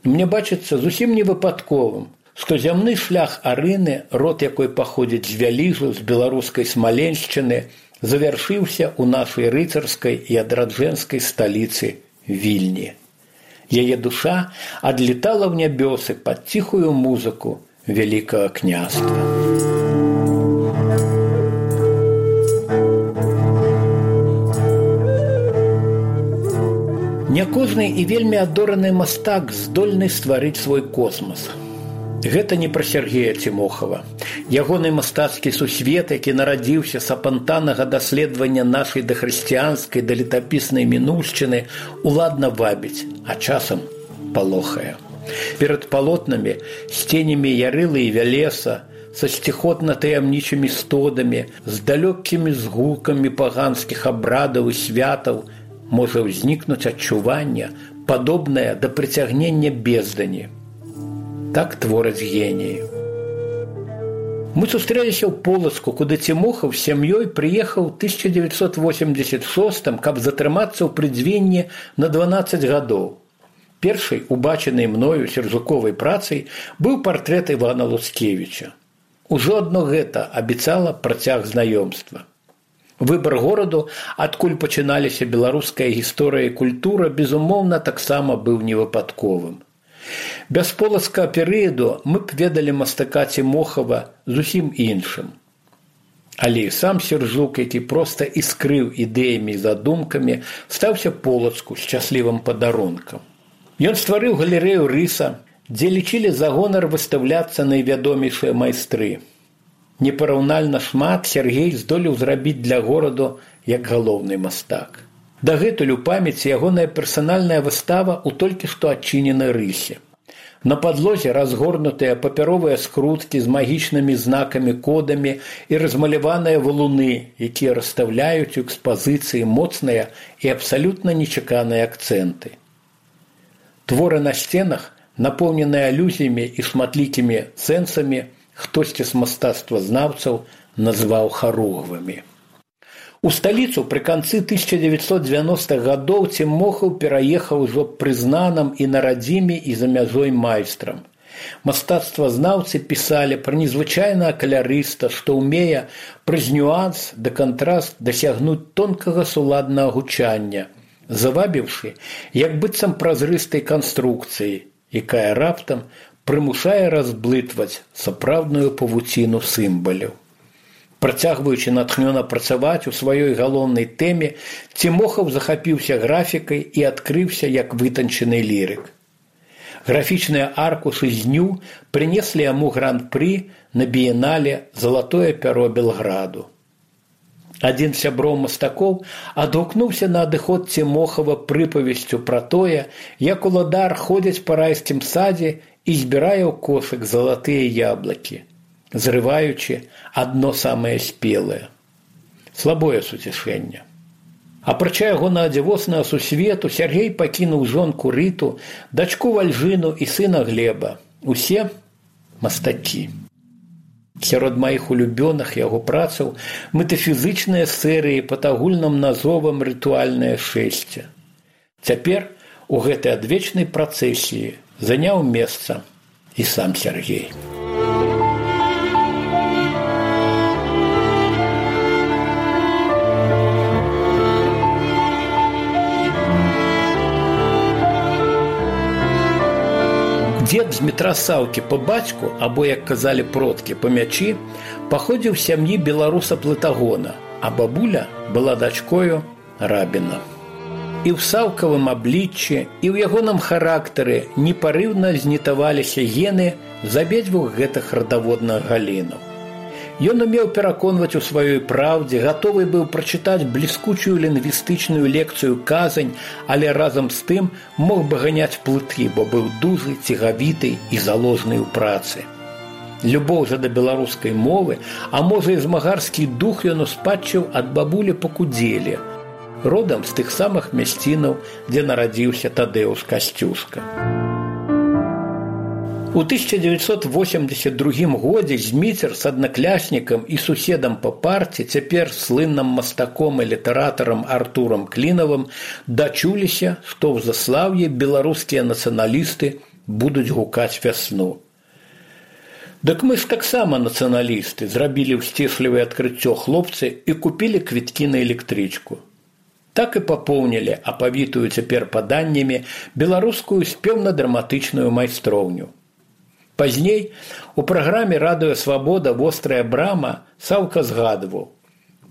Мне бачыцца зусім невыпадковым, што зямны шлях Арыны, род якой паходзіць з Вяліжу, з беларускай Смаленшчыны, завяршыўся ў нашай рыцарскай і адраджэнскай сталіцы Вільні. Яе душа адлетала ў нябёсы пад ціхую музыку Вялікага княства. Не кожны і вельмі адораны мастак здольны стварыць свой космас. Гэта не пра Сергея Цімохава. Ягоны мастацкі сусвет, які нарадзіўся з апантанага даследавання нашай дахрысціянскай да летапіснай мінуўшчыны, уладна вабіць, а часам палохае. Перад палотнамі, з ценямі Ярылы і Вялеса, са сціхотна-таямнічымі стодамі, з далёкімі згукамі паганскіх абрадаў і святаў, можа ўзнікнуць адчуванне, падобнае да прыцягнення бездані. Так твораць геніі. Мы сустрэліся ў Полацку, куды Цімохаў з сям'ёй прыехаў 1986, каб затрымацца ў прыдзвенні на 12 гадоў. Першай убачанай мною сердзуковай працай быў партрэт Івана Луцкевіча. Ужо адно гэта абяцала працяг знаёмства. Выбар гораду, адкуль пачыналіся беларуская гісторыя і культура, безумоўна, таксама быў невыпадковым. Без полацкага перыяду мы б ведалі мастака Цімохава зусім іншым. Але і сам Сердзук, які проста іскрыў ідэямі і задумкамі, стаўся Полацку шчаслівым падарункам. Ён стварыў галерэю рыса, дзе лічылі за гонар выстаўляцца найвядомейшыя майстры. Непараўнальна шмат Сергей здолеў зрабіць для гораду як галоўны мастак. Дагэтуль у памяці ягоная персанальная выстава ў толькі што адчыненай рысе. На падлозе разгорнутыя папяровыя скруткі з магічнымі знакамі, кодамі і размаляваныя валуны, якія расстаўляюць у экспазіцыі моцныя і абсалютна нечаканыя акцэнты. Творы на сценах, напоўненыя алюзіямі і шматлікімі сэнсамі, хтосьці з мастацтвазнаўцаў назваў харугвымі. У сталіцу пры канцы 1990-х гадоў Цімохаў пераехаў ужо прызнаным і на радзіме і за мяжой майстрам. Мастацтвазнаўцы пісалі пра незвычайнага калярыста, што ўмее праз нюанс да кантраст дасягнуць тонкага суладнага гучання, завабіўшы як быццам празрыстай канструкцыі, якая раптам прымушае разблытваць сапраўдную павуціну сімваляў. Працягваючы натхнёна працаваць у сваёй галоўнай тэме, Цімохаў захапіўся графікай і адкрыўся як вытанчаны лірык. Графічныя аркушы з дню прынеслі яму гран-пры на біенале «Залатое пяро Белграду». Адзін з сяброў мастакоў адгукнуўся на адыход Цімохава прыпавесцю пра тое, як уладар ходзіць па райскім садзе і збірае ў кошык залатыя яблыкі, зрываючы адно самае спелае. Слабое суцішэнне. Апрача ягонага дзівоснага сусвету, Сергей пакінуў жонку Рыту, дачку Вальжыну і сына Глеба. Усе мастакі. Сярод маіх улюбёных яго працаў метафізычныя серыі пад агульным назовам «Рытуальнае шэсце». Цяпер у гэтай адвечнай працэсіі заняў месца і сам Сергей. Дзед з Дмітра Саўкі па бацьку, або, як казалі продкі, па мячы, паходзіў з сям'і беларуса-плытагона, а бабуля была дачкою рабіна. І ў саўкавым абліччы, і ў ягоным характары непарыўна знітаваліся гены з абедзвюх гэтых радаводных галінаў. Ён умеў пераконваць у сваёй праўдзе, гатовы быў прачытаць бліскучую лінгвістычную лекцыю казань, але разам з тым мог бы ганяць плыты, бо быў дужы, цігавіты і заложны ў працы. Любоў жа да беларускай мовы, а можа і змагарскі дух ён успадчыў ад бабулі па Кудзеле, родам з тых самых мясцінаў, дзе нарадзіўся Тадэўш Касцюшка. У 1982 годзе Зміцер з аднакляснікам і суседам па парце, цяпер слынным мастаком і літаратарам Артурам Клінавым, дачуліся, што ў Заслаўі беларускія нацыяналісты будуць гукаць вясну. Дык мы ж таксама нацыяналісты, зрабілі ўсціслівае адкрыццё хлопцы і купілі квіткі на электрычку. Так і папоўнілі, апавітую цяпер паданнямі, беларускую спеўна-драматычную майстроўню. Пазней у праграме «Радыё Свабода. Вострая брама» Саўка згадваў: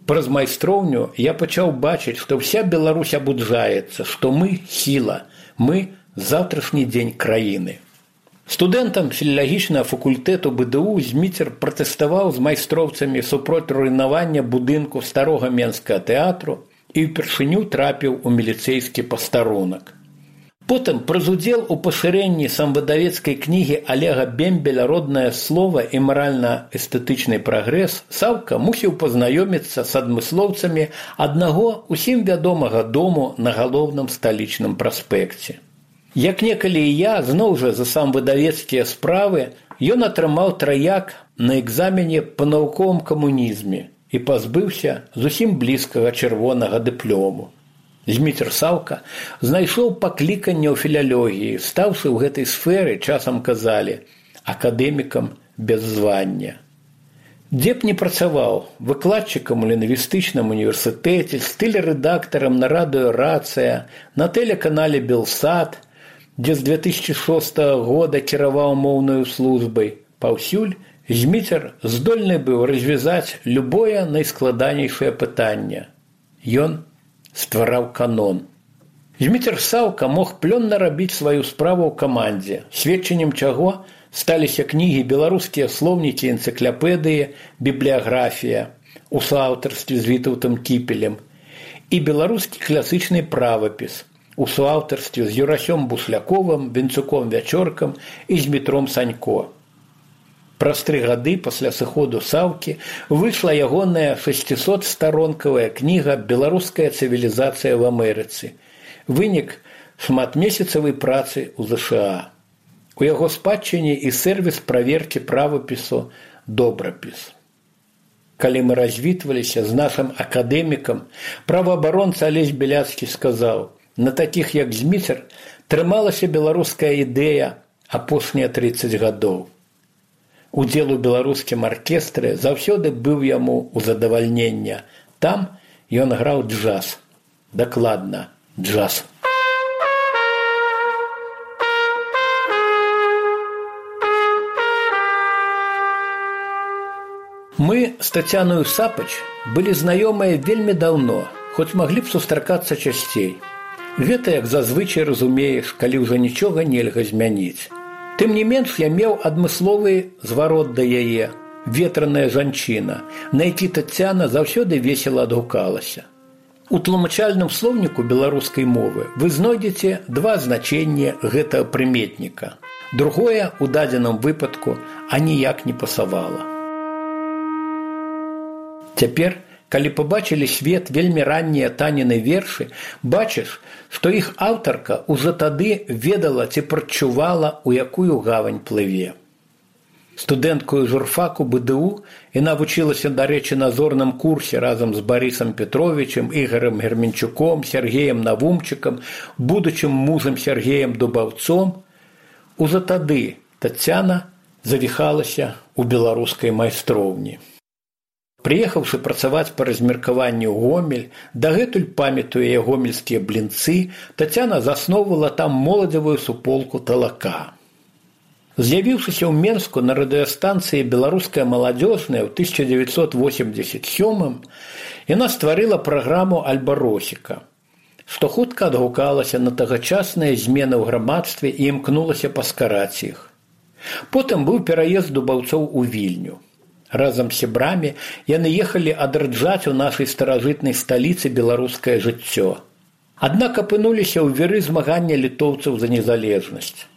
«Праз майстроўню я пачаў бачыць, што ўся Беларусь абуджаецца, што мы – сіла, мы – заўтрашні дзень краіны». Студэнтам філалагічнага факультэту БДУ Зміцер пратэставаў з майстроўцамі супроць руйнавання будынку старога менскага тэатру і ўпершыню трапіў у міліцэйскі пастарунак. Потым праз удзел у пашырэнні самвыдавецкай кнігі Олега Бембеля «Роднае слова і маральна-эстэтычны прагрэс» Саўка мусіў пазнаёміцца з адмыслоўцамі аднаго усім вядомага дому на галоўным сталічным праспекце. Як некалі і я, зноў жа за самвыдавецкія справы, ён атрымаў траяк на экзамене па навуковым камунізме і пазбыўся зусім блізкага чырвонага дыплому. Зміцер Саўка знайшоў пакліканне ў філалогіі, стаўшы ў гэтай сферы, часам казалі, акадэмікам без звання. Дзе б не працаваў, выкладчыкам у лінгвістычным універсітэце, стыль-рэдактарам на радыё «Рацыя», на тэлеканале «Белсат», дзе з 2006 года кіраваў моўнаю службай, паўсюль Зміцер здольны быў развязаць любое найскладанейшае пытанне. Ён ствараў канон. Зміцер Саўка мог плённа рабіць сваю справу ў камандзе, сведчаннем чаго сталіся кнігі «Беларускія слоўнікі, энцыклапедыі, бібліяграфія» у суаўтарстве з Вітаўтам Кіпелем і «Беларускі класычны правапіс» у суаўтарстве з Юрасём Бусляковым, Венцуком Вячоркам і з Дмітром Санько. Праз 3 гады пасля сыходу Саўкі выйшла ягоная 600-старонкавая кніга «Беларуская цывілізацыя в Амерыцы», вынік шматмесяцавай працы ў ЗША. У яго спадчыне і сервіс праверкі правапісу «Добрапіс». Калі мы развітваліся з нашым акадэмікам, праваабаронца Алесь Беляцкі сказаў: «На такіх, як Зміцер, трымалася беларуская ідэя апошнія 30 гадоў». Удзел у беларускім аркестры заўсёды быў яму ў задавальнення. Там ён граў джаз. Дакладна, джаз. Мы з Тацяною Сапач былі знаёмыя вельмі даўно, хоць маглі б сустракацца часцей. Гэта, як зазвычай разумееш, калі ўжо нічога нельга змяніць. Тым не менш, я меў адмысловы зварот да яе, ветраная жанчына, на які Тацяна заўсёды весела адгукалася. У тлумачальным слоўніку беларускай мовы вы знойдзеце 2 значэнні гэтага прыметніка. Другое, у дадзеным выпадку, аніяк не пасавала. Цяпер, калі пабачылі свет вельмі раннія Таніны вершы, бачыш, што іх аўтарка ўжо тады ведала ці прадчувала, у якую гавань плыве. Студэнткою журфаку БДУ яна вучылася, дарэчы, на зорным курсе разам з Барысам Петровичем, Ігорем Герменчуком, Сергеем Навумчыкам, будучым мужам Сергеем Дубаўцом. Ужо тады Тацяна завіхалася ў беларускай майстроўні. Прыехаўшы працаваць па размеркаванню ў Гомель, дагэтуль памятуе гомельскія блінцы, Тацяна засноўвала там моладзевую суполку «Талака». З'явіўшыся ў Менску на радыёстанцыі «Беларуская маладзёжная» ў 1987-м, яна стварыла праграму «Альба-Росіка», што хутка адгукалася на тагачасныя змены ў грамадстве і імкнулася паскараць іх. Потым быў пераезд дубаўцоў у Вільню. Разам з сябрамі яны ехалі адраджаць у нашай старажытнай сталіцы беларускае жыццё. Аднак апынуліся ў віры змагання літоўцаў за незалежнасць.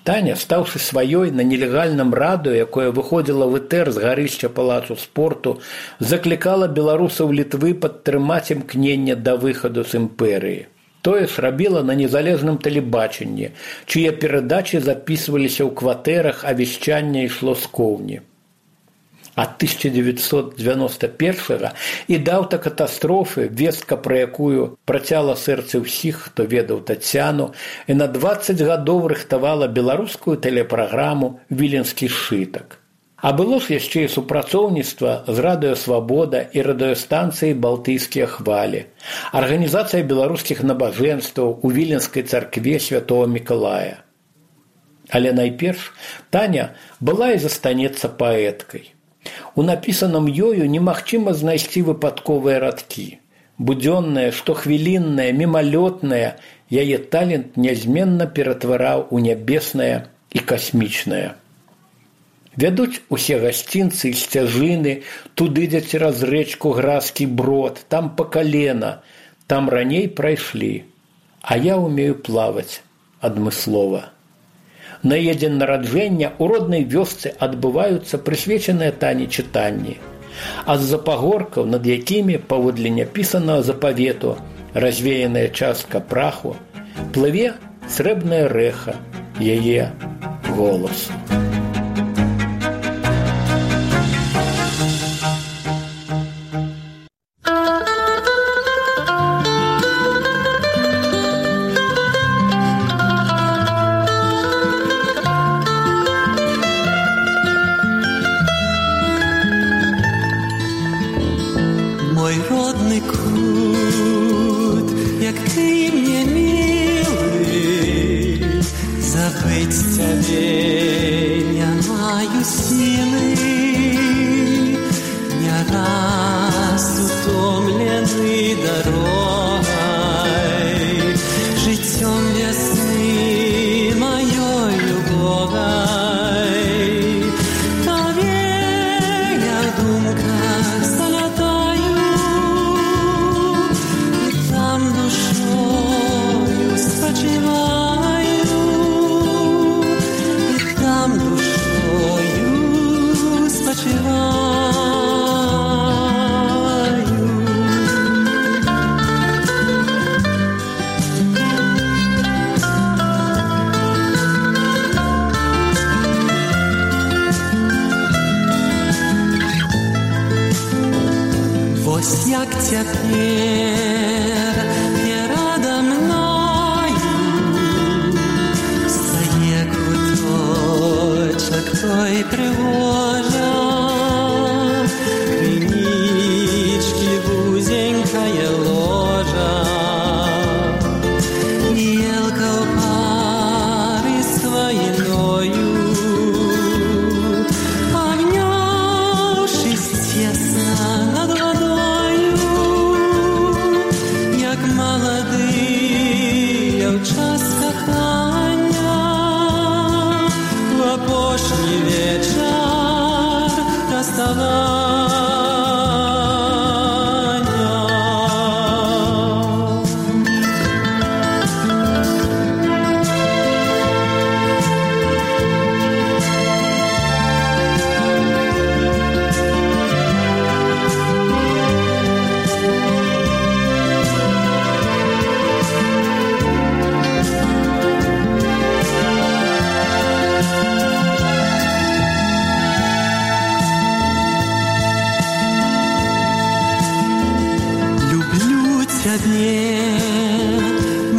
Таня, стаўшы сваёй на нелегальным радыё, якое выходзіла в этэр з гарышча палацу спорту, заклікала беларусаў Літвы падтрымаць імкненне да выхаду з імперыі. Тое ж рабіла на незалежным тэлебачанні, чые перадачы запісваліся ў кватэрах, а вяшчанне ішло з коўні. Ад 1991 і да аўтакатастрофы, вестка пра якую працяла сэрцы ўсіх, хто ведаў Тацяну, і на 20 гадоў рыхтавала беларускую тэлепраграму «Віленскі сшытак». А было ж яшчэ і супрацоўніцтва з радыё «Свабода» і радыёстанцыяй «Балтыйскія хвалі», арганізацыя беларускіх набажэнстваў у Віленскай царкве святого Мікалая. Але найперш Таня была і застанецца паэткай. У напісаным ёю немагчыма знайсці выпадковыя радкі. Будзённае, штохвіліннае, мімалётнае, яе талент нязменна ператвараў у нябеснае і касмічнае. Вядуць усе гасцінцы і сцяжыны, туды, дзе цераз рэчку Гразкі брод, там па калена, там раней прайшлі. А я ўмею плаваць адмыслова. На яе дзень нараджэння ў роднай вёсцы адбываюцца прысвечаныя Тані чытанні, а з-за пагоркаў, над якімі, паводле няпісанага запавету, развеяная частка праху, плыве срэбнае рэха яе голасу.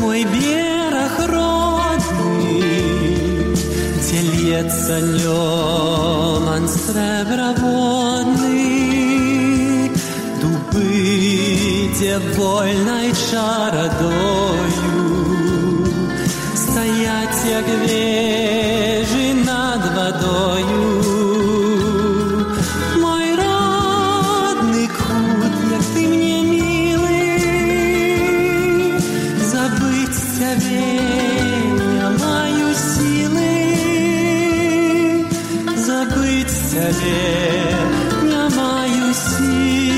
Мой берег родный, где льется льман среброводный, дубы, где вольной чародою стоять, як вежи над водою. Мой родный кут, як ты мне я маю силы забыть тебе, я маю силы.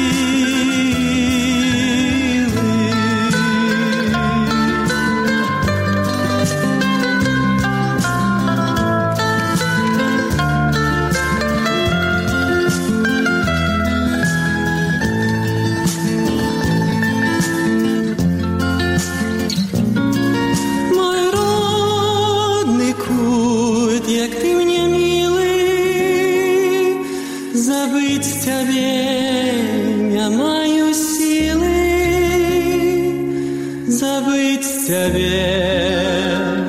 Забыть тебе, я маю силы забыть тебе.